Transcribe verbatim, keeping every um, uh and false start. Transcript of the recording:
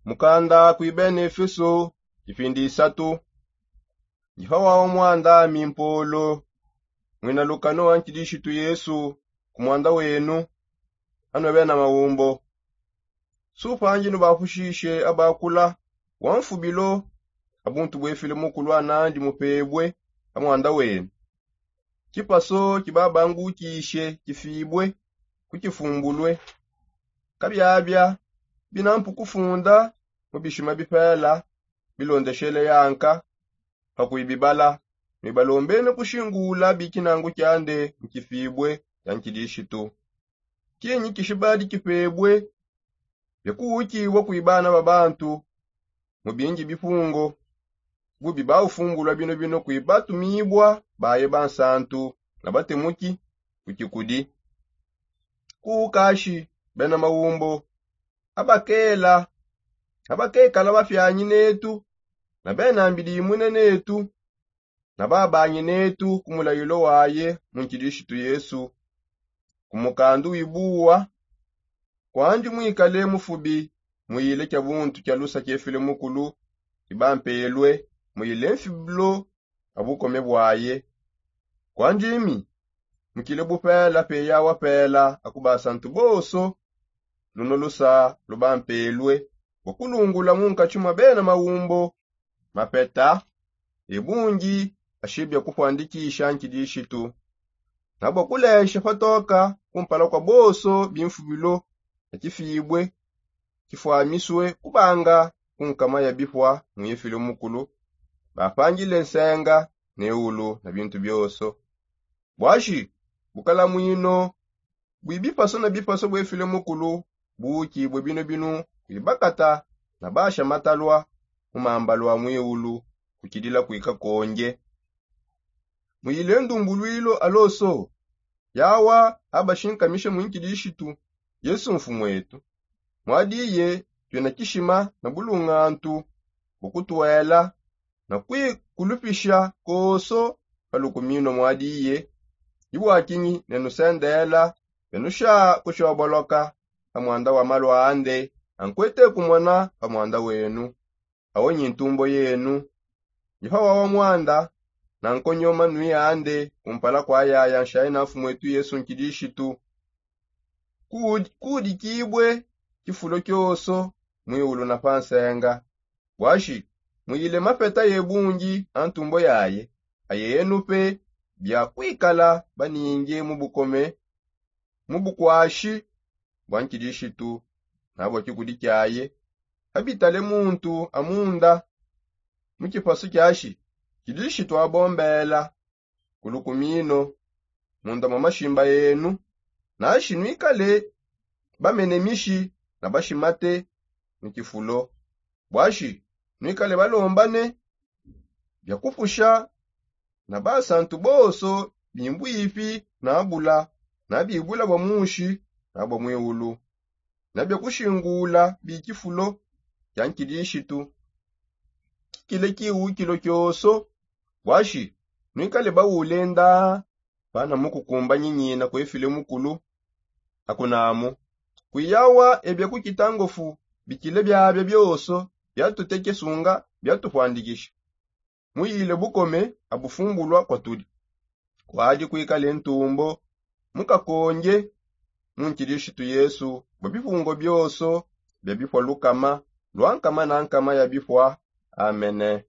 Mukanda kui bena efeso. Kipindi isatu. Ndi pa wawa mwanda ami mpolo, mwina lukano wa nkidishitu yesu, ku mwanda wenu, anwe bena maumbo. Supangi nubapushishe abakula wa mfubilo, abuntu bwefile mukulu anandi mupebwe pa mwanda wenu. Kipaso kibabangukishe kifibwe, kukifumbulwe. Kabiabia binampu kufunda mu bishima bipela, bilondeshele yanka pa kuibibala, nibalombene kushingula bikinangu kiande mu kifibwe ya nkidishitu. Kinyi kishibadi kipebwe? Bia kuukibua kui bana ba bantu mu bingi bipungo, bubi baufumbulua binobino kui batumibua baye bansantu, na batemuki ku kikudi. Kuukashi bena maumbo, abakela abakekala bapianyi netu, na bena mbidi imune netu, na babanyi netu ku mulayilo waye mu nkidishitu yesu, ku mukandu wibuwa. Kwandi mwikale mufubi, muyile kia buntu kia lusa kiefile mukulu, kibampelwe, muyile mfibilo a bukome bwaye. Kwandi imi mukile bupela peya wapela akuba santu bonso. Luno lusa lubampelwe bua kulungula mu nkatshi mua bena maumbo, mapeta, ebungi ashibia kupuandikisha nkidishitu, na bua kulesha patoka kumpala kua bonso bimfubilo na kifibwe kifuamisue kubanga ku nkama ya bipua mu efile mukulu, bapangile nsenga ne ulu na bintu bionso. Buashi bukalamuino bui bipaso na bipaso buefile mukulu buukibue bino binu, kuibakata na basha matalua mu mambalu a muiulu, kukidila kuikakonge. Muyile ndumbuluilo aloso yawa abashinkamisha mu nkidishitu yesu mfumuetu. Mwadiye tuena kishima na bulungantu bua kutuela na kuikulupisha konso pa lukumino mwadiye. Ibuakinyi nenusendela benusha kushoboloka pa mwanda wa malu ande ankuete kumona pa mwanda wenu, awo nyi ntumbo yenu. Ndi pa wawa mwanda na nkonyoma nui ande kumpala kua yaya nshayi na mfumuetu yesu nkidishitu. Kuudikibue kifulo kionso muiulu na pa nsenga. Buashi muyile mapeta ye bungi a ntumbo yaye, aye enu pe bia kuikala baninge mu bukome, mu bukuashi bua nkidishitu na bua kikudi kiaye. Abitale muntu a munda mu kipasu kiashi, nkidishitu abombela ku lukumino munda mua mashimba enu. Nashi nuikale bamene mishi na bashimate mu kifulo. Buashi nuikale balombane bia kupusha na basantu bonso bimbuipi na bula, na bibula bua mushi na bua muiulu, na bia kushingula bikifulo kia nkidishitu. Kikile kiwukilo kionso. Buashi nuikale baule ndaa pana mu kukumba nyinyina kuefile mukulu. Akunamu kuiyawa ebia kukita ngofu bikile biabia bionso biatuteke sunga biatupuandikisha. Muyile bukome abufumbulua kuatudi. Kuadi kuikale ntumbo mukakonge mu nkidishitu yesu bua bipungo bionso bia bipua lukama lua nkama na nkama ya bipua. Amene.